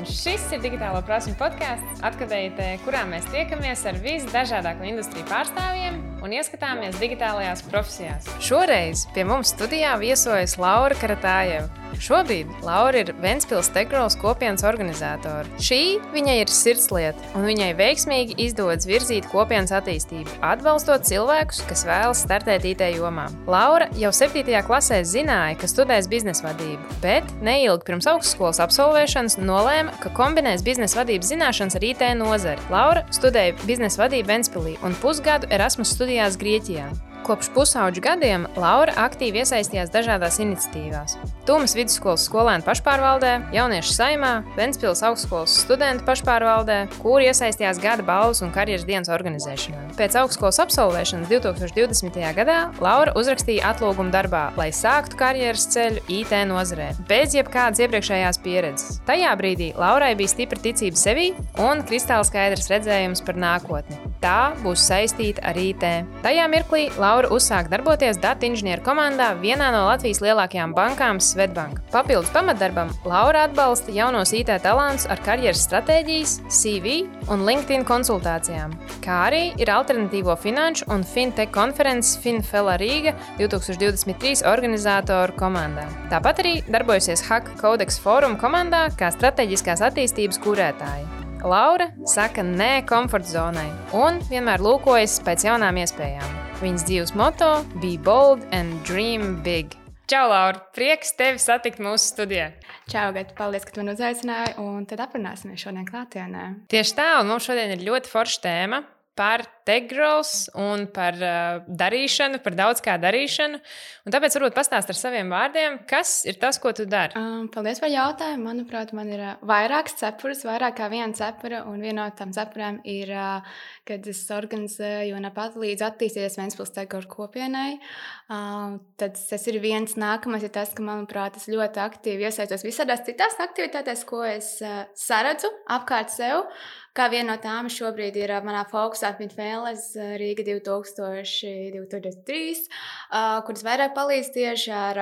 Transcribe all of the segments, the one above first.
Šis ir Digitālo prasmju podkāsts, atskatītē, kurā mēs tiekamies ar visdažādāko industriju pārstāvjiem un ieskatāmies digitālajās profesijās. Šoreiz pie mums studijā viesojas Laura Karatājeva. Šobrīd Laura ir Ventspils Tech-Growth kopienas organizātore. Šī viņai ir sirdslieta, un viņai veiksmīgi izdodas virzīt kopienas attīstību, atbalstot cilvēkus, kas vēlas startēt IT jomā. Laura jau 7. klasē zināja, ka studēs biznesa vadību, bet neilgi pirms augstskolas absolvēšanas nolēma, ka kombinēs biznesa vadības zināšanas ar IT nozari. Laura studēja biznesa vadību Ventspilī un pusgadu Erasmus studijās Grieķijā. Kopš pusauģu gadiem Laura aktīvi iesaistījās dažādās iniciatīvās. Tūmas vidusskolas skolēnu pašpārvaldē, Jauniešu saimā, Ventspils augstskolas studentu pašpārvaldē, kur iesaistījās gada balvas un karjeras dienas organizēšanā. Pēc augstskolas absolvēšanas 2020. gadā Laura uzrakstīja atlūgumu darbā, lai sāktu karjeras ceļu IT nozarē, bez jebkādas iepriekšējās pieredzes. Tajā brīdī Laurai bija stipra ticība sevī un kristāli skaidrs redzējums par nākotni. Tā būs saistīta ar IT. Tajā mirklī Laura uzsāk darboties datu inženieru komandā vienā no Latvijas lielākajām bankām Svetbank. Papildus pamatdarbam Laura atbalsta jaunos IT talantus ar karjeras stratēģijas, CV un LinkedIn konsultācijām, kā arī ir alternatīvo finanšu un fintech konferences FinFela Rīga 2023 organizātoru komandā. Tāpat arī darbojusies Hack Codex Forum komandā kā strateģiskās attīstības kurētāja. Laura saka nē komforta zonai un vienmēr lūkojas pēc jaunām iespējām. Viņas dzīves moto – Be bold and dream big. Čau, Laura! Prieks tevi satikt mūsu studijā. Čau, Gata! Paldies, ka tu man uzaicināji, un tad aprunāsimies šodien klātienē. Tieši tā, un mums šodien ir ļoti forša tēma par Tech-Growth un par darīšanu, par daudz kā darīšanu. Un tāpēc varbūt pastāst ar saviem vārdiem, kas ir tas, ko tu dari? Paldies par jautājumu. Manuprāt, man ir vairākas cepures, vairāk kā viena cepura, un viena no tām cepurēm ir, kad es organizēju un palīdzu attīstīties Ventspils Tech-Growth kopienai. Tad tas ir viens. Nākamais ir tas, ka, manuprāt, es ļoti aktīvi iesaistos visādās citās aktivitātēs, ko es saredzu apkārt sev. Kā viena no tām šobrīd ir manā fokusā FinFelas Rīga 2023, kuras vairāk palīdz tieši ar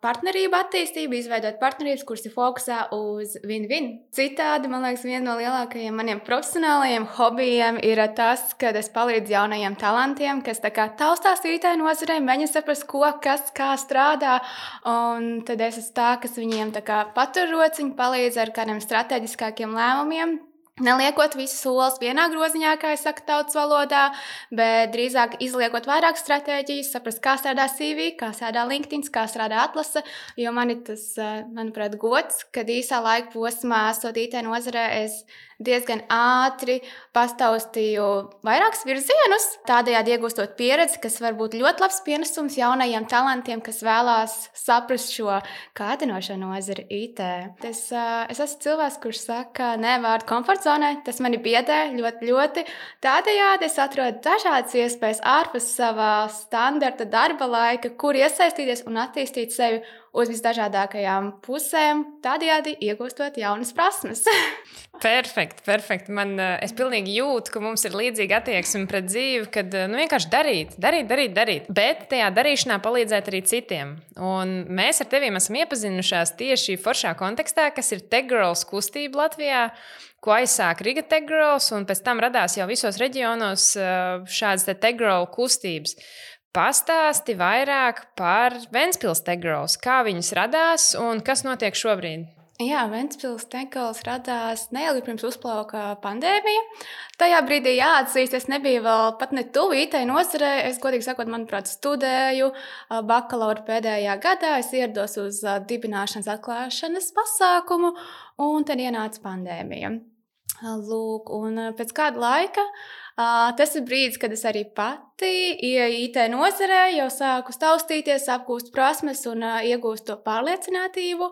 partnerību attīstību, izveidot partnerības, kuras ir fokusā uz win-win. Citādi, man liekas, viena no lielākajiem maniem profesionālajiem hobijiem ir tas, kad es palīdzu jaunajiem talantiem, kas tā kā taustās IT nozarē, mēģina saprast, ko, kas, kā strādā, un tad es esmu tā, kas viņiem tā kā patur rociņu, palīdz ar kādiem strateģiskākiem lēmumiem. Neliekot visus solis vienā groziņā, kā es saku tautas valodā, bet drīzāk izliekot vairāk stratēģijas, saprast, kā strādā CV, kā strādā LinkedIn, kā strādā atlase, jo man ir tas, manuprāt, gods, kad īsā laika posmā, esot IT nozarē, es diezgan ātri pastaustīju vairākus virzienus, tādējādi iegūstot pieredzi, kas var būt ļoti labs pienesums jaunajiem talantiem, kas vēlās saprast šo kārdinošo nozari IT. Es esmu cilvēks, kurš saka nē vārdu komforta zonai, tas mani biedē ļoti. Tādējādi es atrodu dažādas iespējas ārpus savā standarta darba laika, kur iesaistīties un attīstīt sevi uz visdažādākajām pusēm, tādējādi iegūstot jaunas prasmes. Perfekti. Es pilnīgi jūtu, ka mums ir līdzīga attieksme pret dzīvi, kad vienkārši darīt. Bet tajā darīšanā palīdzēt arī citiem. Un mēs ar teviem esam iepazinušās tieši foršā kontekstā, kas ir Tech-Growth kustība Latvijā, ko aizsāka Riga Tech-Growth, un pēc tam radās jau visos reģionos šādas Tech-Growth kustības. Pastāsti vairāk par Ventspils Tech-Growth, kā viņas radās un kas notiek šobrīd? Jā, Ventspils Tech-Growth radās neilgi pirms uzplauka pandēmija. Tajā brīdī jāatzīst, es nebiju vēl pat ne tuvu IT nozarē. Es, godīgi sakot, manuprāt, studēju bakalaura pēdējā gadā. Es ierados uz dibināšanas atklāšanas pasākumu, un tad ienāca pandēmija. Lūk, un pēc kāda laika tas ir brīdis, kad es arī pati IT nozarē jau sāku taustīties, apgūst prasmes un iegūst to pārliecinātību,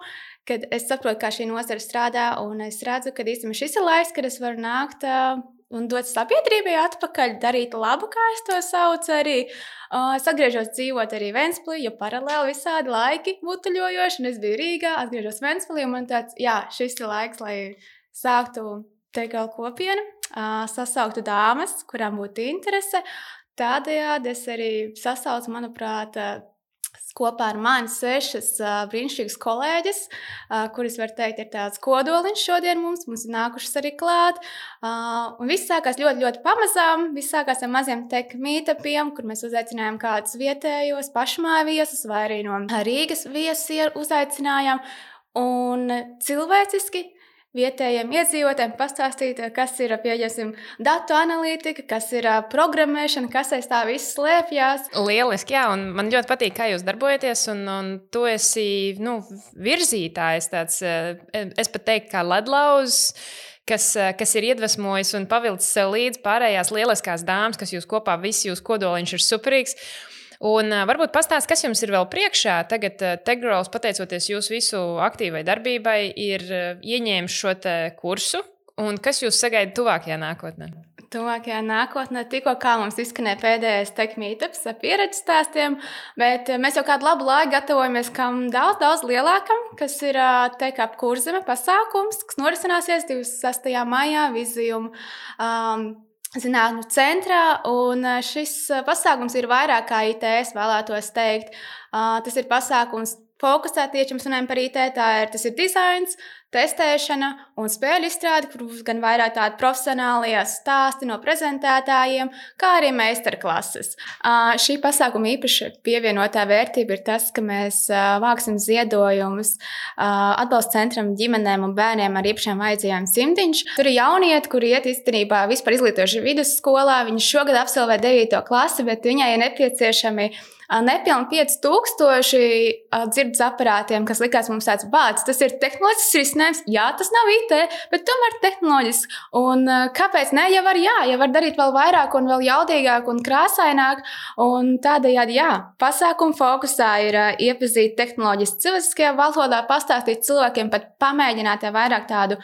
kad es saprotu, kā šī nozara strādā, un es redzu, ka īstenībā šis ir laiks, kad es varu nākt un dot sabiedrībai atpakaļ, darīt labu, kā es to saucu arī. Es atgriežos dzīvot arī Ventspilī, jo paralēli visādi laiki butuļojoši, un es biju Rīgā, atgriežos Ventspilī, un man tāds, šis ir laiks, lai sāktu Tech-Growth kopienu, sasauktu dāmas, kurām būtu interese. Tādējādi es arī sasaucu, manuprāt, kopā ar mani 6 brīnišķīgas kolēģes, kuras, var teikt, ir tāds kodoliņš šodien mums ir nākušas arī klāt. Un viss sākās ļoti, ļoti pamazām. Viss sākās ar maziem tech meetupiem, kur mēs uzaicinājām kādus vietējos pašmāju viesus vai arī no Rīgas viesus uzaicinājām. Un cilvēciski vietējiem iedzīvotājiem pastāstīt, kas ir, pieņemsim, datu analītika, kas ir programmēšana, kas aiz tā viss slēpjas. Lieliski, jā, un man ļoti patīk, kā jūs darbojaties, un tu esi, virzītājs tāds, es pat teiktu, kā ledlauzs, kas ir iedvesmojis un pavilcis sev līdz pārējās lieliskās dāmas, kas jūs kopā, visi jūs kodoliņš ir superīgs. Un varbūt pastāst, kas jums ir vēl priekšā. Tagad TechGrowth, pateicoties jūsu visu aktīvai darbībai, ir ieņēmis šo kursu. Un kas jūs sagaida tuvākajā nākotnē? Tuvākajā nākotnē tikko kā mums izskanēja pēdējais tech meetups ar pieredzes stāstiem, bet mēs jau kādu labu laiku gatavojamies kam daudz lielākam, kas ir Tech Up Kurzeme pasākums, kas norisināsies 26. maijā Vizijum zinātņu centrā, un šis pasākums ir vairāk kā IT, es vēlētos teikt. Tas ir pasākums fokusēt tieši, mēs runājam par IT, tas ir dizains, testēšana un spēļu izstrāde, kur būs gan vairāk tādi profesionālie stāsti no prezentētājiem, kā arī meistarklases. Šī pasākuma īpaši pievienotā vērtība ir tas, ka mēs vāksim ziedojumus atbalsta centram ģimenēm un bērniem ar īpašām vajadzībām Simtiņš. Tur ir jaunieti, kuri iet īstenībā vispār izglītojuši vidusskolā. Viņi šogad absolvē 9. klasi, bet viņai ir nepieciešami nepilni 5000 dzirdes aparātiem, kas likās mums tāds bāds. Tas ir tehnoloģisks risinājums. Jā, tas nav IT, bet tomēr tehnoloģisks. Un kāpēc ne? Ja var darīt vēl vairāk un vēl jaudīgāk un krāsaināk. Un tādējādi, pasākuma fokusā ir iepazīt tehnoloģijas cilvēciskajā valodā, pastāstīt cilvēkiem, pat pamēģināt vairāk tādu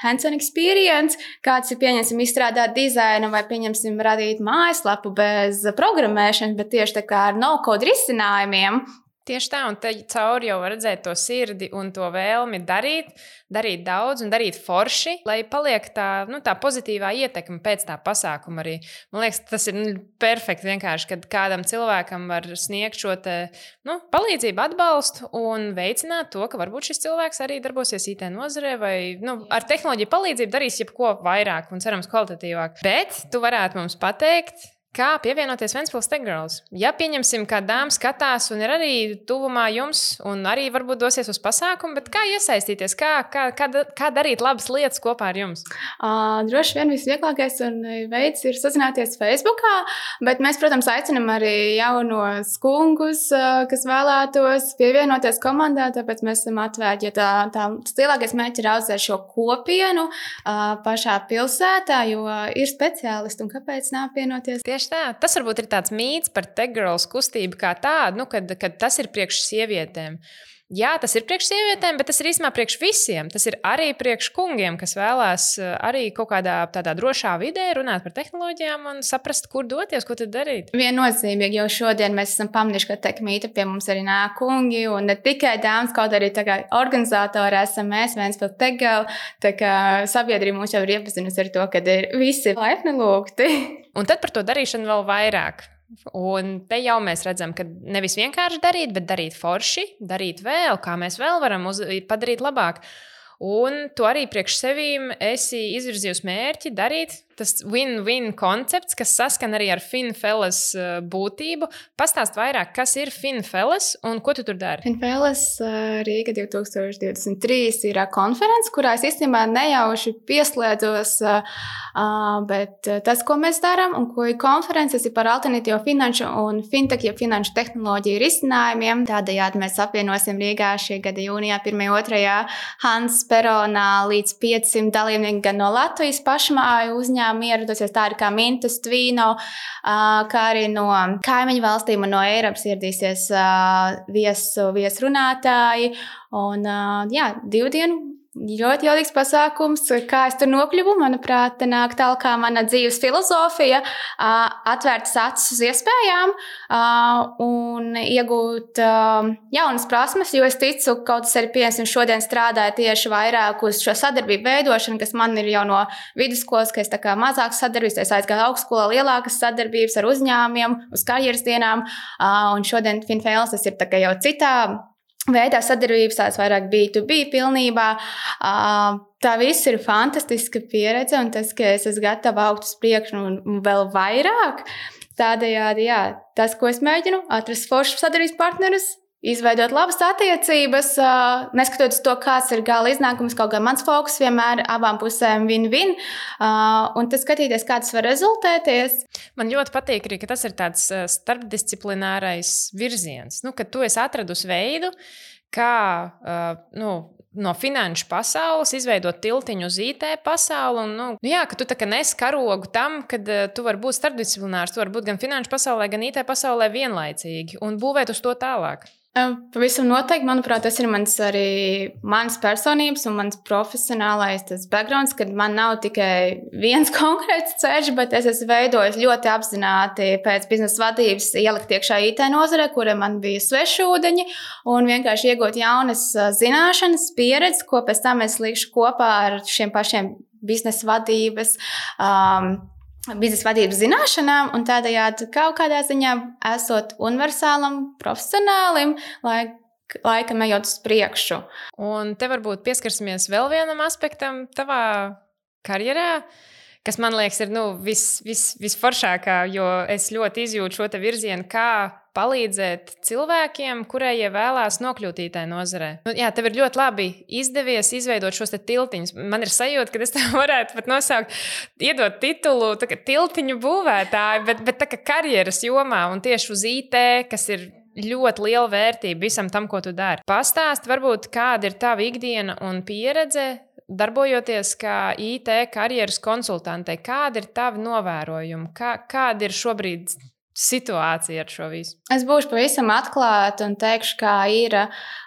hands-on experience, kāds ir, pieņemsim, izstrādāt dizainu vai, pieņemsim, radīt mājaslapu bez programmēšanas, bet tieši tā kā ar no-code risinājumiem. Tieši tā, un te cauri jau var redzēt to sirdi un to vēlmi darīt daudz un darīt forši, lai paliek tā pozitīvā ietekme pēc tā pasākuma arī. Man liekas, tas ir perfekti vienkārši, kad kādam cilvēkam var sniegt šo palīdzību, atbalstu un veicināt to, ka varbūt šis cilvēks arī darbosies IT nozarē vai ar tehnoloģiju palīdzību darīs jebko vairāk un cerams kvalitatīvāk. Bet tu varētu mums pateikt, kā pievienoties Ventspils TechGrowth? Ja pieņemsim, kā dāma skatās un ir arī tuvumā jums un arī varbūt dosies uz pasākumu, bet kā iesaistīties, kā darīt labas lietas kopā ar jums? Droši vien visvieglākais veids ir sazināties Facebookā, bet mēs, protams, aicinam arī jaunos kungus, kas vēlētos pievienoties komandā, tāpēc mēs esam atvērti, jo tas lielākais mērķis ir audzēt šo kopienu pašā pilsētā, jo ir speciālisti un kāpēc neapvienoties? Tieši tā. Tas varbūt ir tāds mīts par TechGrowth kustību kā tādu, kad tas ir priekš sievietēm. Jā, tas ir priekš sievietēm, bet tas ir īstenībā priekš visiem. Tas ir arī priekš kungiem, kas vēlās arī kaut kādā tādā drošā vidē runāt par tehnoloģijām un saprast, kur doties, ko tad darīt. Viennozīmīgi, jo šodien mēs esam pamanījuši, ka tech meetup pie mums arī nāk kungi un ne tikai dāmas, kaut arī organizatori esam mēs, Ventspils TechGrowth, tā kā sabiedrība mūs jau ir iepazinusi ar to, ka ir visi laipni lūgti. Un tad par to darīšanu vēl vairāk. Un te jau mēs redzam, ka nevis vienkārši darīt, bet darīt forši, darīt vēl, kā mēs vēl varam padarīt labāk. Un tu arī priekš sevīm esi izvirzījusi mērķi darīt. Tas win-win koncepts, kas saskan arī ar FinFellas būtību. Pastāst vairāk, kas ir FinFellas un ko tu tur dari? FinFellas Rīga 2023 ir konference, kurā es īstenībā nejauši pieslēdzos, bet tas, ko mēs darām un ko ir konferences, ir par alternatīvo finanšu un fintech, ja finanšu tehnoloģiju risinājumiem. Tādējādi mēs apvienosim Rīgā šī gada jūnijā 1.2. Hans Peronā līdz 500 dalībnieki gan no Latvijas pašmāju uzņēmumu ieradosies, tādi kā Mintas, Tvīno, kā arī no kaimiņu valstīm un no Eiropas ieradīsies viesrunātāji. Un 2 dienu ļoti jaudīgs pasākums, kā es tur nokļuvu. Manuprāt, te nāk tālāk kā mana dzīves filozofija, atvērtas acis uz iespējām un iegūt jaunas prasmes, jo es ticu, kaut kas arī piemēram šodien strādāju tieši vairāk uz šo sadarbību veidošanu, kas man ir jau no vidusskolas, ka es tā kā mazākas sadarbības, es aizgāju augstskolā lielākas sadarbības ar uzņēmumiem, uz karjeras dienām, un šodien FinFails tas ir tā kā jau citā veidā sadarbības, tās vairāk B2B pilnībā. Tā viss ir fantastiska pieredze, un tas, ka es esmu gatava augt uz priekšu un vēl vairāk. Tādējādi, jā, tas, ko es mēģinu, atrast foršus sadarbības partnerus, izveidot labas attiecības, neskatoties to, kāds ir gala iznākums, kaut kā mans fokus vienmēr abām pusēm win-win, un tad skatīties, kā tas var rezultēties. Man ļoti patīk arī, ka tas ir tāds starpdisciplinārais virziens, ka tu esi atradusi veidu, kā no finanšu pasaules izveidot tiltiņu uz IT pasauli. Un, ka tu tā kā nes karogu tam, kad tu vari būt starpdisciplinārs, tu vari būt gan finanšu pasaulē, gan IT pasaulē vienlaicīgi un būvēt uz to tālāk. Pavisam noteikti, manuprāt, tas ir mans personības un mans profesionālais backgrounds, kad man nav tikai viens konkrēts ceļš, bet es esmu veidojis ļoti apzināti pēc biznesa vadības ielikt iekšā IT nozarē, kura man bija svešūdeņi, un vienkārši iegūt jaunas zināšanas, pieredzi, ko pēc tam es likšu kopā ar šiem pašiem biznesa vadības zināšanām, un tādējādi kaut kādā ziņā esot universālam, profesionālim, laikam ejot uz priekšu. Un te varbūt pieskarsimies vēl vienam aspektam tavā karjerā, kas man liekas ir visforšākā, jo es ļoti izjūtu šo te virzienu, kā palīdzēt cilvēkiem, kurie vēlās nokļūt IT nozarē. Tev ir ļoti labi izdevies izveidot šos te tiltiņus. Man ir sajūta, ka es tev varētu pat nosaukt, iedot titulu tiltiņu būvētāji, bet tā kā karjeras jomā un tieši uz IT, kas ir ļoti liela vērtība visam tam, ko tu dari. Pastāst varbūt, kāda ir tava ikdiena un pieredze, darbojoties kā IT karjeras konsultantei. Kāda ir tavi novērojumi? Kāda ir šobrīd situācija ar šo visu? Es būšu pavisam atklāta un teikšu, kā ir,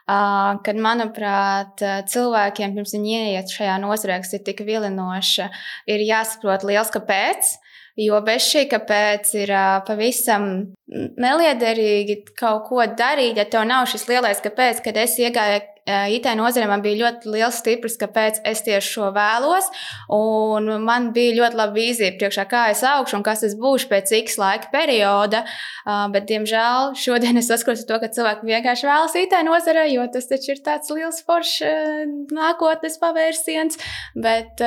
kad, manuprāt, cilvēkiem, pirms viņi ieiet šajā nozarē, kas ir tik vilinoša, ir jāsaprot liels kāpēc, jo bez šī kāpēc ir pavisam neliederīgi kaut ko darīt, ja tev nav šis lielais kāpēc, kad es iegāju IT nozarē, man bija ļoti liels stiprs, kāpēc es tieši šo vēlos, un man bija ļoti laba vīzija priekšā, kā es augšu un kas es būšu pēc X laika perioda, bet, diemžēl, šodien es saskaros to, ka cilvēki vienkārši vēlas IT nozarē, jo tas taču ir tāds liels foršs nākotnes pavērsiens, bet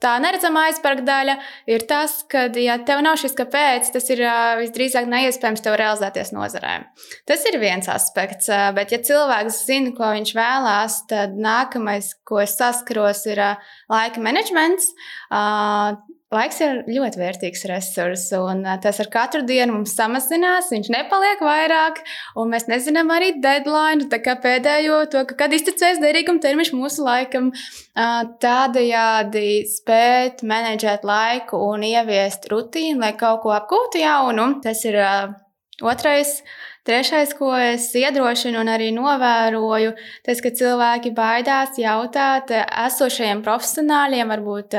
tā neredzamā aizsparga daļa ir tas, ka, ja tev nav šis kāpēc, tas ir visdrīzāk neiespējams tev realizēties nozarē. Tas ir viens aspekts, bet ja cilvēks zina, ko viņš vēlās, tad nākamais, ko es saskaros, ir laika menedžments. Laiks ir ļoti vērtīgs resurs, un tas ar katru dienu mums samazinās, viņš nepaliek vairāk, un mēs nezinām arī deadline, tā kā pēdējo to, kad iztecēs derīguma termiņš mūsu laikam. Tādējādi spēt menedžēt laiku un ieviest rutīnu, lai kaut ko apgūtu jaunu. Tas ir otrais. Trešais, ko es iedrošinu un arī novēroju, tas, ka cilvēki baidās jautāt esošajiem profesionāļiem, varbūt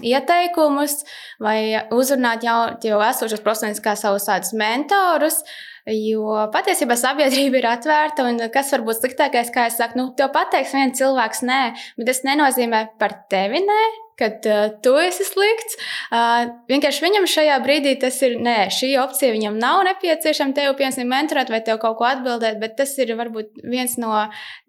ieteikumus vai uzrunāt jau esošos profesionāļus kā savus tādus mentorus, jo patiesībā sabiedrība ir atvērta, un kas var būt sliktākais, kā es saku, tev pateiks viens cilvēks nē, bet tas nenozīmē par tevi nē, kad tu esi slikts. Vienkārši viņam šajā brīdī tas ir nē, šī opcija viņam nav nepieciešama tevi, piemēram, mentorēt vai tev kaut ko atbildēt, bet tas ir varbūt viens no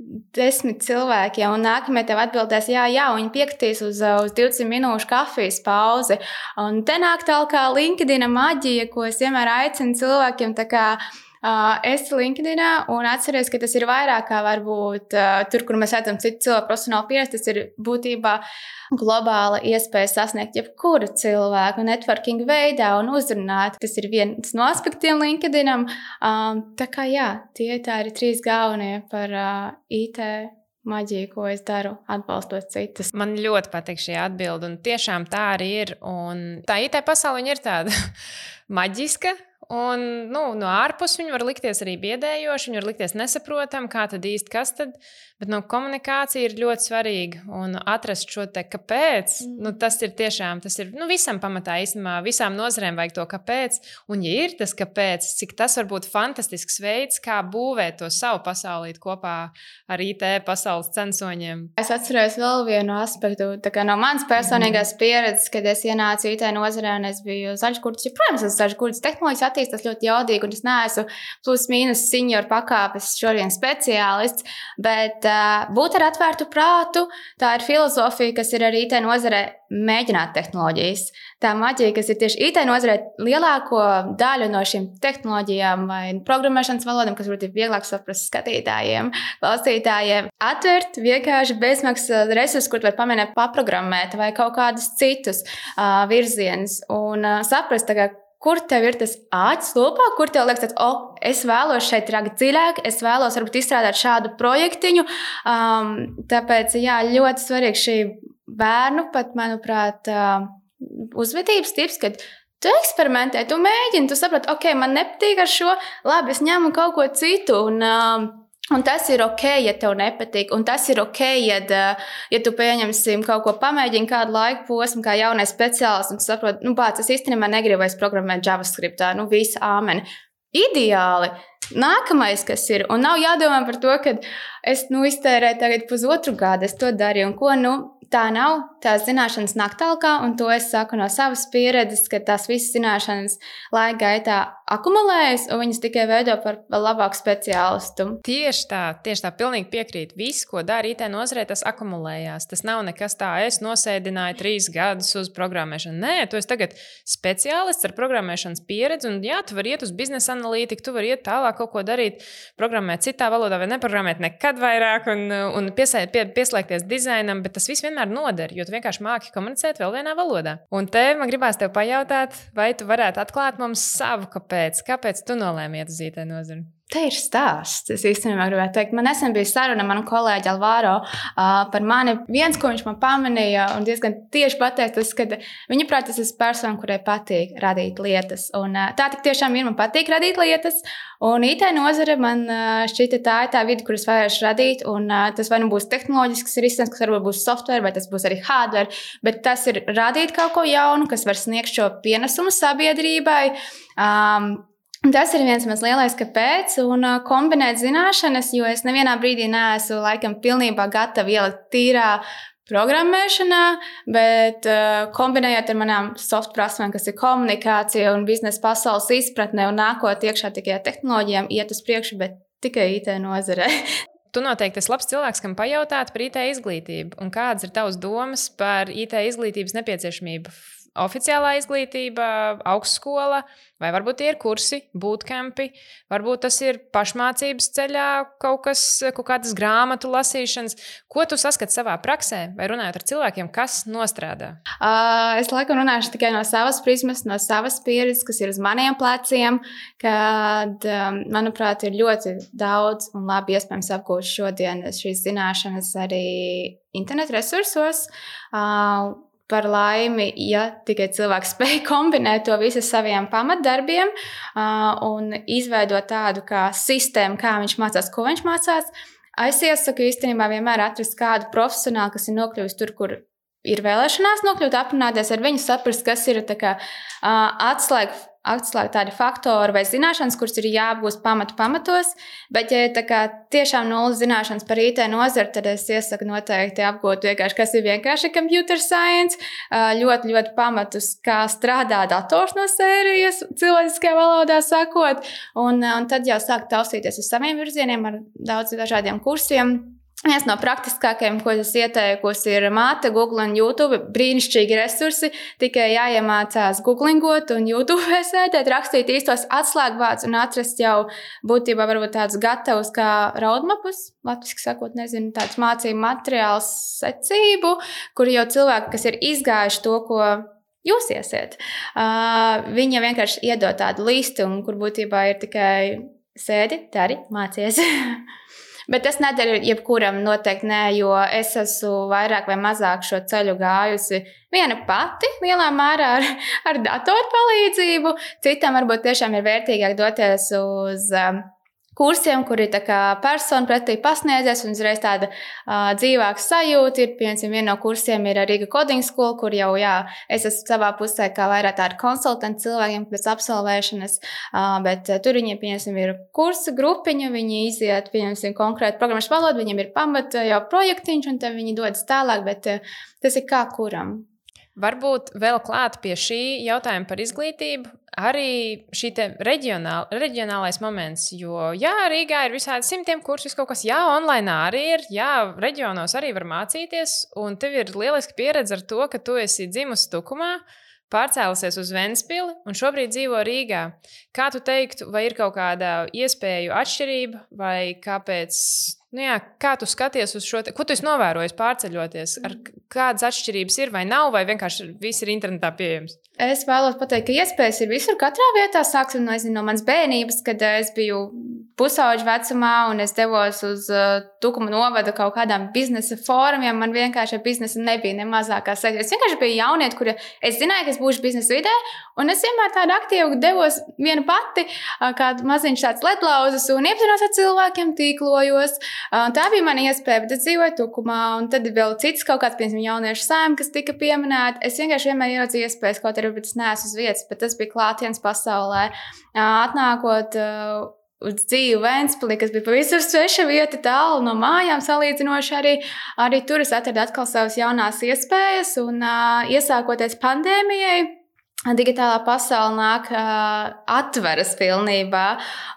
10 cilvēkiem, un nākamie tev atbildēs jā, un viņi piekritīs uz 20 minūšu kafijas pauzi. Un te nāk tālāk LinkedIna maģija, ko es vienmēr aicinu cilvēkiem, tā kā esi LinkedInā un atceries, ka tas ir vairāk kā varbūt tur, kur mēs redzam citu cilvēku profesionālu pieredzi, tas ir būtībā globāla iespēja sasniegt jebkuru cilvēku networking veidā un uzrunāt. Tas ir viens no aspektiem LinkedInam. Tā kā tie ir 3 galvenie par IT maģiju, ko es daru, atbalstot citus. Man ļoti patīk šī atbilde, un tiešām tā arī ir. Un tā IT pasaule ir tāda maģiska Un, no ārpus viņi var likties arī biedējoši, viņi var likties nesaprotami, kā tad īsti kas tad. Bet komunikācija ir ļoti svarīga. Un atrast šo te kāpēc, tas ir tiešām, visam pamatā īstenībā, visām nozarēm vajag to kāpēc. Un, ja ir tas kāpēc, cik tas var būt fantastisks veids, kā būvēt to savu pasaulīt kopā ar IT pasaules censoņiem. Es atceros vēl vienu aspektu, tā kā no manas personīgās pieredzes, kad es ienācu IT nozarē un es biju zaļškurts. Protams, es zaļškurts tehnoloģijas attīstās ļoti jaudīgi, un es neesmu plus mīnus senior pakāpes šodien speciālists, bet būt ar atvērtu prātu, tā ir filozofija, kas ir arī IT nozarē mēģināt tehnoloģijas. Tā maģija, kas ir tieši IT nozarē, lielāko daļu no šīm tehnoloģijām vai programmēšanas valodām, kas varbūt ir vieglāk saprast skatītājiem, klausītājiem, atvert vienkārši bezmaksas resursus, kur var pamēģināt paprogrammēt vai kaut kādus citus virzienus un saprast, kur tev ir tas āķis lopā, kur tev liekas, es vēlos šeit rakt dziļāk, es vēlos varbūt izstrādāt šādu projektiņu. Tāpēc, ļoti svarīgi šī bērnu pat, manuprāt, uzvedības tips, kad tu eksperimentē, tu mēģini, tu saproti, man nepatīk ar šo, labi, es ņemu kaut ko citu un tas ir ok, ja tev nepatīk, un tas ir ok, ja tu pieņemsim kaut ko pamēģini kādu laiku posmu, kā jaunais speciālists, un tu saproti, es īstenībā negribu vairs programmēt JavaScriptā, visi āmeni. Ideāli. Nākamais, kas ir, un nav jādomā par to, ka es iztērēju tagad pusotru gadu, es to darīju, un ko, tā nav, tās zināšanas nāk tālāk, un to es saku no savas pieredzes, ka tās visas zināšanas laika gaitā akumulējas, un viņas tikai veido par labāku speciālistu. Tieši tā, pilnīgi piekrīt. Viss, ko dara IT nozarē, tas akumulējās. Tas nav nekas tā, es nosēdināju 3 gadus uz programmēšanu. Nē, tu esi tagad speciālists ar programmēšanas pieredzi, un tu vari iet uz biznesa analītiku, tu vari iet tālāk kaut ko darīt, programmēt citā valodā vai neprogrammēt nekad vairāk un pieslēgties dizainam, bet tas viss vienmēr noder, jo tu vienkārši māki komunicēt vēl vienā valodā. Un te man gribās tev pajautāt, vai tu varētu atklāt mums savu kāpēc tu nolēmi iet uz IT nozari? Te ir stāsts. Es īstenībā gribētu teikt, man nesen bija saruna ar manu kolēģi Alvaro par mani. Viens, ko viņš man pamanīja un diezgan tieši pateica, tas, ka viņa prāt, es esmu persona, kurai patīk radīt lietas. Un tā tik tiešām ir, man patīk radīt lietas. Un IT nozare man šķita tā ir tā vide, kur es vēlēšu radīt. Un tas vai nu būs tehnoloģisks risinājums, kas varbūt būs software, vai tas būs arī hardware. Bet tas ir radīt kaut ko jaunu, kas var sniegt šo pienesumu sabiedrībai. Tas ir viens mans lielais kāpēc, un kombinēt zināšanas, jo es nevienā brīdī neesmu laikam pilnībā gatava ielikt tīrā programmēšanā, bet kombinējot ar manām soft prasmēm, kas ir komunikācija un biznesa pasaules izpratne un nākot iekšā tikai tehnoloģijām, iet uz priekšu, bet tikai IT nozarē. Tu noteikti esi labs cilvēks, kam pajautāt par IT izglītību. Un kādas ir tavas domas par IT izglītības nepieciešamību? Oficiālā izglītība, augstskola, vai varbūt tie ir kursi, bootcampi, varbūt tas ir pašmācības ceļā kaut kādas grāmatu lasīšanas. Ko tu saskati savā praksē vai runājot ar cilvēkiem, kas nostrādā? Es laikam runāšu tikai no savas prizmas, no savas pieredzes, kas ir uz maniem pleciem, kad, manuprāt, ir ļoti daudz un labi iespējams apgūt šodien šīs zināšanas arī internetu resursos. Par laimi, ja tikai cilvēks spēj kombinēt to visu saviem pamatdarbiem un izveidot tādu kā sistēmu, kā viņš mācās, ko viņš mācās, es iesaku īstenībā vienmēr atrast kādu profesionālu, kas ir nokļuvis tur, kur ir vēlēšanās nokļūt, aprunāties ar viņu, saprast, kas ir tā kā atslēgt tādi faktori vai zināšanas, kuras ir jāapgūst pamatos, bet, ja ir tā kā tiešām nulles zināšanas par IT nozari, tad es iesaku noteikti apgūt vienkārši, kas ir vienkārši computer science, ļoti, ļoti pamatus, kā strādā dators no sērijas, cilvēciskajā valodā sakot, un tad jau sākt taustīties uz saviem virzieniem ar daudz dažādiem kursiem. Viens no praktiskākajiem, ko es ieteikusi, ir Māte, Google un YouTube. Brīnišķīgi resursi, tikai jāiemācās googlingot un YouTube sēdēt, rakstīt īstos atslēgvārdus un atrast jau būtībā varbūt tādus gatavus kā roadmapus, latviski sakot, nezinu, tāds mācību materiāls secību, kur jau cilvēki, kas ir izgājuši to, ko jūs iesiet, viņi vienkārši iedod tādu listu, un kur būtībā ir tikai sēdi, dari, mācies. Bet tas nedara jebkuram noteikti nē, jo es esmu vairāk vai mazāk šo ceļu gājusi viena pati, lielā mērā ar datoru palīdzību. Citam varbūt tiešām ir vērtīgāk doties uz kursiem, kur ir tā kā persona pretī pasniedzies un uzreiz tāda dzīvāka sajūta. Ir, piemēram, viena no kursiem ir Riga Coding School, kur jau, es esmu savā pusē kā vairāk tāda konsultanti cilvēkiem pēc absolvēšanas, bet tur viņiem, piemēram, ir kursa grupiņa, viņi iziet, piemēram, konkrētu programmas valodu, viņiem ir pamata jau projektiņš, un tad viņi dodas tālāk, bet tas ir kā kuram. Varbūt vēl klāt pie šī jautājuma par izglītību arī šī reģionālais moments, jo Rīgā ir visādi simtiem kursus, kaut kas, online arī ir, reģionos arī var mācīties, un tev ir lieliski pieredze ar to, ka tu esi dzimusi Tukumā, pārcēlusies uz Ventspili un šobrīd dzīvo Rīgā. Kā tu teiktu, vai ir kaut kāda iespēju atšķirība, vai kāpēc, kā tu skaties uz šo, ko tu esi novērojis pārceļoties, kādas atšķirības ir vai nav, vai vienkārši viss ir internetā pieejams? Es vēlos pateikt, ka iespējas ir visur, katrā vietā. Sāksim no manas bērnības, kad es biju pusauģa vecumā un es devos uz Tukuma novada kaut kādām biznesa fórumiem. Man vienkārši ar biznesu nebija ne mazākā saikta. Es vienkārši biju jaunieti, kura es zināju, ka es būšu biznesa vidē, un es vienmēr tādu aktīvu devos viena pati, kādu maziņš tāds ledlauzas un iepazinos ar cilvēkiem, tīklojos. Tā bija mana iespēja, bet es dzīvoju Tukumā, un tad vēl cits kaut kāds, piemēram, jauniešu saima, kas tika pieminēta. Es vienkārši vienmēr ieraudzīju iespējas, kaut arī es neesmu uz vietas, bet tas bija klātienes pasaulē. Atnākot uz dzīvi Ventspilī, kas bija pavisam sveša vieta, tālu no mājām salīdzinoši, arī tur es atradu atkal savas jaunās iespējas, un iesākoties pandēmijai, digitālā pasaule nāk atveras pilnībā,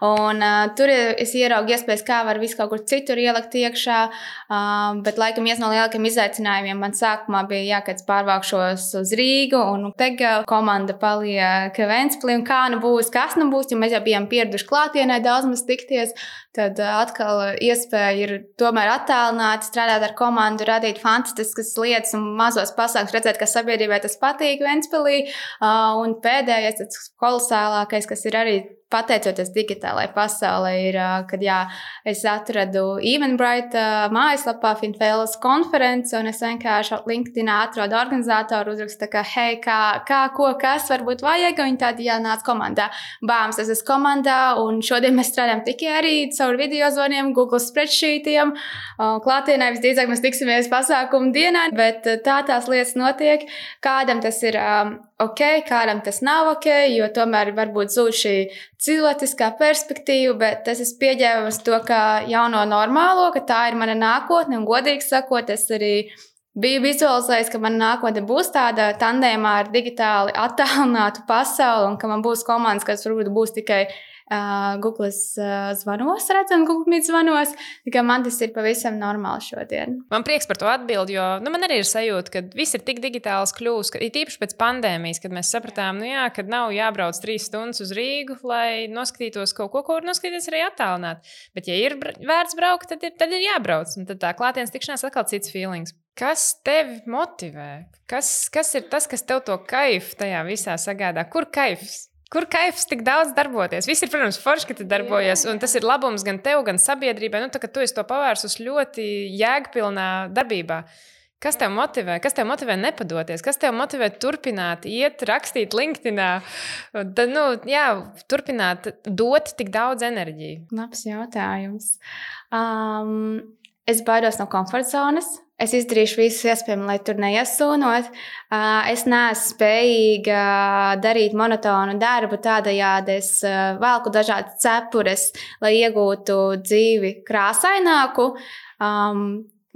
un tur es ieraugu iespējas, kā var visu kaut kur citur ielikt iekšā, bet laikam viens no lielākiem izaicinājumiem man sākumā bija, kad pārvākšos uz Rīgu, un tagad komanda paliek Ventspilī, un kā nu būs, kas nu būs, jo mēs jau bijām pieraduši klātienē daudz maz tikties, tad atkal iespēja ir tomēr attālināt, strādāt ar komandu, radīt fantastiskas lietas un mazos pasākumus, redzēt, ka sabiedrībai tas patīk Ventspilī. Un pēdējais, tas kolosālākais, kas ir arī pateicoties digitālajai pasaulē, ir, kad es atradu Eventbrite mājaslapā Finfēlas konferenci, un es vienkārši LinkedInā atradu organizātoru, uzrakstu, ka, hei, kas varbūt vajag, un viņi tādi nāc komandā. Bāms, es esmu komandā, un šodien mēs strādājam tikai arī caur video zvaniem, Google spreadsheetiem, klātienē visdrīzāk mēs tiksimies pasākumu dienā, bet tās lietas notiek, kādam tas ir ok, kādam tas nav ok, jo tomēr varbūt zūd šī cilvēciskā perspektīva, bet es esmu pieņēmis to kā jauno normālo, ka tā ir mana nākotne, un godīgi sakot, es arī biju vizualizējis, ka mana nākotne būs tāda tandēmā ar digitāli attālinātu pasauli, un ka man būs komandas, kas varbūt būs tikai Google zvanos, redzam, Google Meet zvanos, tikai man tas ir pavisam normāli šodien. Man prieks par to atbildi, jo man arī ir sajūta, ka viss ir tik digitāls kļūst, ka it īpaši pēc pandēmijas, kad mēs sapratām, kad nav jābrauc 3 stundas uz Rīgu, lai noskatītos kaut ko var noskatīties arī attālināt. Bet ja ir vērts braukt, tad ir jābrauc, un tad tā klātienes tikšanās atkal cits feelings. Kas tevi motivē? Kas ir tas, kas tev to kaifu tajā visā sagādā? Kur kaifs? Kur kaifs tik daudz darboties? Viss ir, protams, forši, ka tu darbojies, un tas ir labums gan tev, gan sabiedrībai. Tā kā tu esi to pavērsus ļoti jēgpilnā darbībā. Kas tev motivē? Kas tev motivē nepadoties? Kas tev motivē turpināt, iet, rakstīt LinkedInā? Turpināt dot tik daudz enerģiju? Labs jautājums. Es baidos no komforta zonas. Es izdarīšu visu iespējamo, lai tur neiesūnot. Es neesmu spējīga darīt monotonu darbu, tādējādi es velku dažādas cepures, lai iegūtu dzīvi krāsaināku.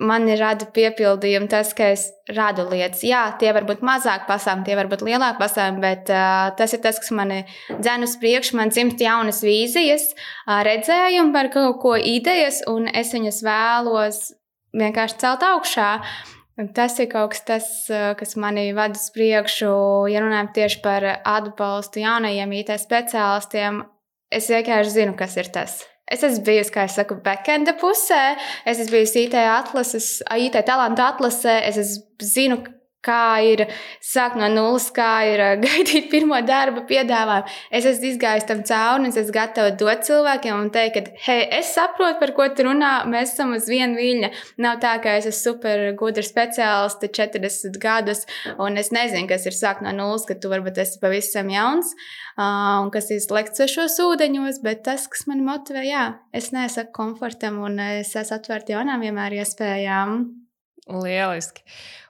Man rada piepildījumu tas, ka es radu lietas. Jā, tie var būt mazāk pasākumi, tie var būt lielāk pasākumi, bet tas ir tas, kas mani dzen uz priekšu, man dzimst jaunas vīzijas, redzējumi par kaut ko idejas, un es viņas vēlos vienkārši celt augšā. Tas ir kaut kas, kas mani vada uz priekšu, ja runājam tieši par atbalstu jaunajiem IT speciālistiem. Es vienkārši zinu, kas ir tas. Es esmu bijusi, kā es saku, backenda pusē, es esmu bijusi IT talantu atlasē, es zinu, kā ir sākt no nulles, kā ir gaidīt pirmo darba piedāvājumu. Es esmu izgājis tam cauri, un es esmu gatava dot cilvēkiem un teikt, ka, hei, es saprotu, par ko tu runā, mēs esam uz viena viļņa. Nav tā, ka es esmu super gudra speciāliste 40 gadus, un es nezinu, kas ir sākt no nulles, ka tu varbūt esi pavisam jauns, un kas ir lekt svešos ūdeņos, bet tas, kas mani motivē, jā, es nesaku komfortam, un es esmu atvērta jaunām vienmēr iespējām. Lieliski.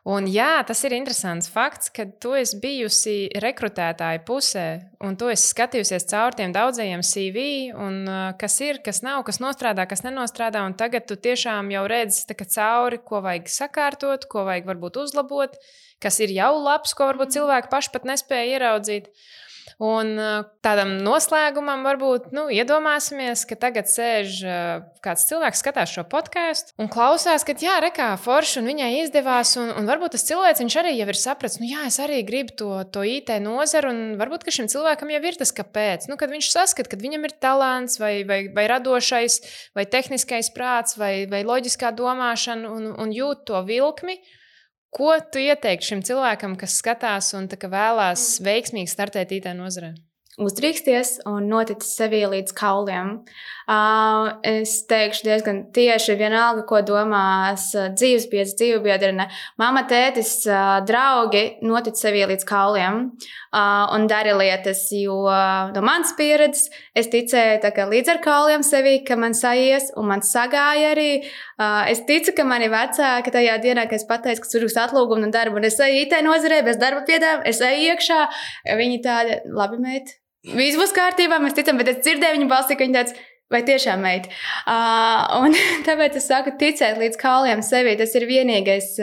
Un jā, tas ir interesants fakts, ka tu esi bijusi rekrutētāja pusē, un tu esi skatījusies caur tiem daudzajiem CV, un kas ir, kas nav, kas nostrādā, kas nenostrādā, un tagad tu tiešām jau redzi cauri, ko vajag sakārtot, ko vajag varbūt uzlabot, kas ir jau labs, ko varbūt cilvēki paši pat nespēja ieraudzīt. Un tādam noslēgumam varbūt iedomāsimies, ka tagad sēž kāds cilvēks, skatās šo podkāstu un klausās, ka jā, rekā forši un viņai izdevās. Un varbūt tas cilvēks arī jau ir sapratis, jā, es arī gribu to IT nozaru. Un varbūt šim cilvēkam jau ir tas, kāpēc. Kad viņš saskata, ka viņam ir talants vai radošais, vai tehniskais prāts, vai loģiskā domāšana un jūt to vilkmi. Ko tu ieteiktu šim cilvēkam, kas skatās un vēlās veiksmīgi startēt IT nozarē? Uzdrīksties un notic sevi līdz kauliem. Es teikšu diezgan tieši vienalga, ko domās dzīvebiedrene. Mama, tētis, draugi, notic sevi līdz kauliem un dari lietas, jo no manas pieredzes es ticēju līdz ar kauliem sevi, ka man saies un man sagāja arī. Es ticu, ka mani vecāki tajā dienā, kad es pateicu, ka uzrakstu atlūgumu un darbu, un es eju IT nozarē bez darba piedāvājuma, es eju iekšā, viņi tādi, labi, meit, viss būs kārtībā, mēs ticam, bet es dzirdēju viņu balsī, ka viņi tāds, vai tiešām meit. Un tāpēc es saku, ticēt līdz kauliem sevi, tas ir vienīgais,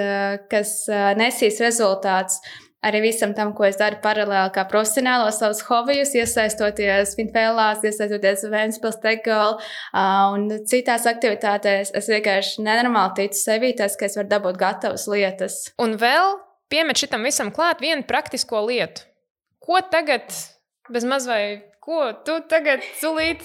kas nesīs rezultāts arī visam tam, ko es daru paralēli kā profesionālo savus hobijus, iesaistoties Finfēlās, iesaistoties Ventspils Techgirl un citās aktivitātēs. Es vienkārši nenormāli ticu sevi, tas, ka es varu dabūt gatavas lietas. Un vēl piemet šitam visam klāt vienu praktisko lietu. Ko tagad, bez maz vai ko tu tagad sulīt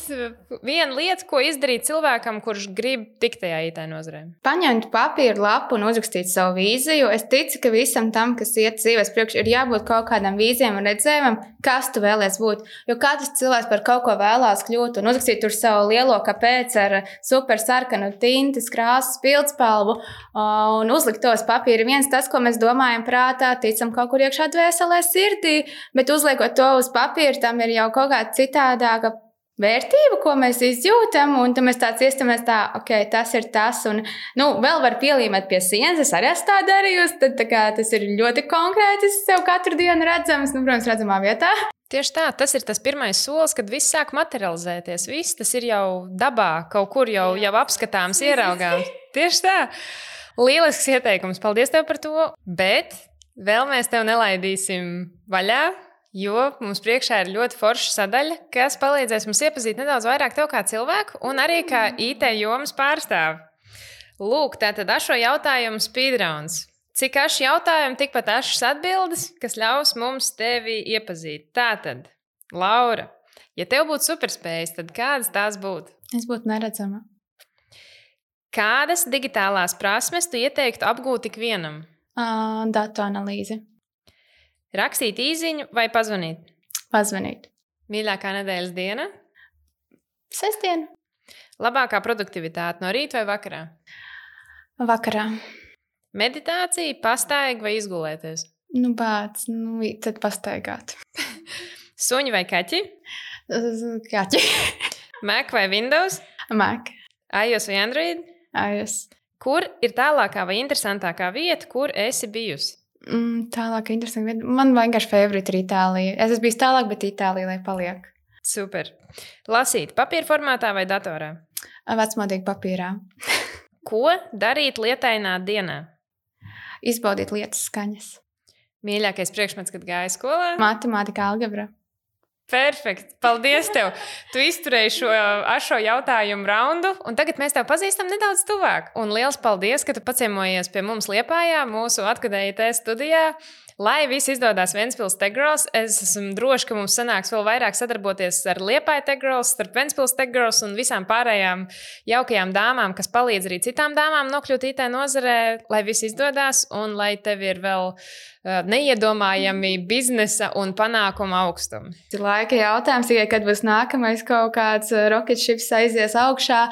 vienu lietu, ko izdarīt cilvēkam, kurš grib tikt tajā IT nozarē? Paņemt papīru lapu un uzrakstīt savu vīziju. Es ticu, ka visam tam, kas iet dzīves priekš, ir jābūt kaut kādam vīzijam un redzējumam, kas tu vēlies būt. Jo katrs cilvēks par kaut ko vēlās kļūt un uzrakstīt tur savu lielo kāpēc ar super sarkanu tintes, krāsas, pildspalvu un uzlikt tos papīri. Viens tas, ko mēs domājam prātā, ticam kaut kur iekšā dvēselē sirdī, bet uzliekot to uz papīra, tam ir jau kaut kāda citādāka vērtība, ko mēs izjūtam, un tad mēs tāds iestamies tā, ok, tas ir tas, un, vēl var pielīmēt pie sienas, es arī esmu tā darījusi, tad tā kā tas ir ļoti konkrēti, es sev katru dienu redzams, protams, redzamā vietā. Tieši tā, tas ir tas pirmais solis, kad viss sāk materializēties, viss tas ir jau dabā, kaut kur jau apskatāms, ieraugāms. Tieši tā, lielisks ieteikums, paldies tev par to, bet vēl mēs tev nelaidīsim vaļā, jo mums priekšā ir ļoti forša sadaļa, kas palīdzēs mums iepazīt nedaudz vairāk tev kā cilvēku un arī kā IT jomas pārstāvi. Lūk, tātad ašo jautājumu speedrounds. Cik aši jautājumi, tikpat ašas atbildes, kas ļaus mums tevi iepazīt. Tātad, Laura, ja tev būtu superspējas, tad kādas tās būtu? Es būtu neredzama. Kādas digitālās prasmes tu ieteiktu apgūt ikvienam? Datu analīzi. Rakstīt īziņu vai pazvanīt? Pazvanīt. Mīļākā nedēļas diena? Sestdiena. Labākā produktivitāte no rīta vai vakarā? Vakarā. Meditācija, pastaiga vai izgulēties? Tad pastaigāt. Suņi vai kaķi? Kaķi. Mac vai Windows? Mac. iOS vai Android? iOS. Kur ir tālākā vai interesantākā vieta, kur esi bijusi? Tālāk, interesanti vieta. Man vienkārši favorite ir Itālija. Es esmu bijis tālāk, bet Itālija, lai paliek. Super. Lasīt papīra formātā vai datorā? Vecmodīgi papīrā. Ko darīt lietainā dienā? Izbaudīt lietas skaņas. Mīļākais priekšmets, kad gāja skolā? Matemātika, algebra. Perfekt. Paldies tev. Tu izturēji šo jautājumu raundu, un tagad mēs tev pazīstam nedaudz tuvāk. Un liels paldies, ka tu paciemojies pie mums Liepājā, mūsu Atkudē IT studijā. Lai viss izdodas Ventspils Tech Girls, es esmu droši, ka mums sanāks vēl vairāk sadarboties ar Liepāju Tech Girls, starp Ventspils Tech Girls un visām pārējām jaukajām dāmām, kas palīdz arī citām dāmām nokļūt IT nozarē, lai viss izdodas un lai tev ir vēl neiedomājami biznesa un panākuma augstumi. Laika jautājums tikai, kad būs nākamais kaut kāds rocket ships aizies augšā.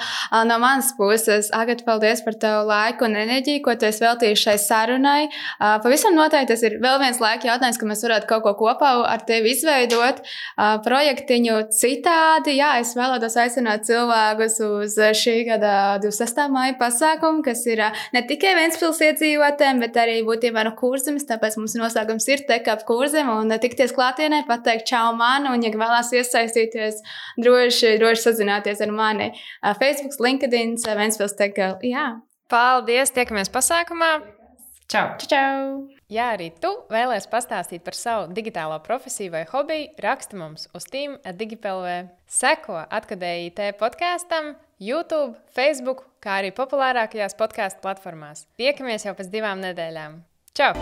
No manas puses, Agata, paldies par tavu laiku un enerģiju, ko tu esi veltījuši šai sarunai. Pavisam noteikti tas ir vēl viens laika jautājums, ka mēs varētu kaut ko kopā ar tevi izveidot, projektiņu citādi. Jā, es vēlētos aicināt cilvēkus uz šī gada 26. māja pasākumu, kas ir ne tikai Ventspils iedzīvotēm, bet arī būtībā no Kurzemes, tāpēc mums noslēgums ir Tech-Up Kurzeme un tikties klātienē, pateikt čau man, un, ja vēlās iesaistīties, droši sazināties ar mani. Facebook, LinkedIn, Ventspils Tech Girl. Jā. Paldies, tiekamies pasākumā. Čau! Čau! Ja arī tu vēlies pastāstīt par savu digitālo profesiju vai hobiju, raksti mums uz team@digipelv. Seko Atkadēji IT podkastam, YouTube, Facebook, kā arī populārākajās podcastu platformās. Tiekamies jau pēc 2 nedēļām. Čau!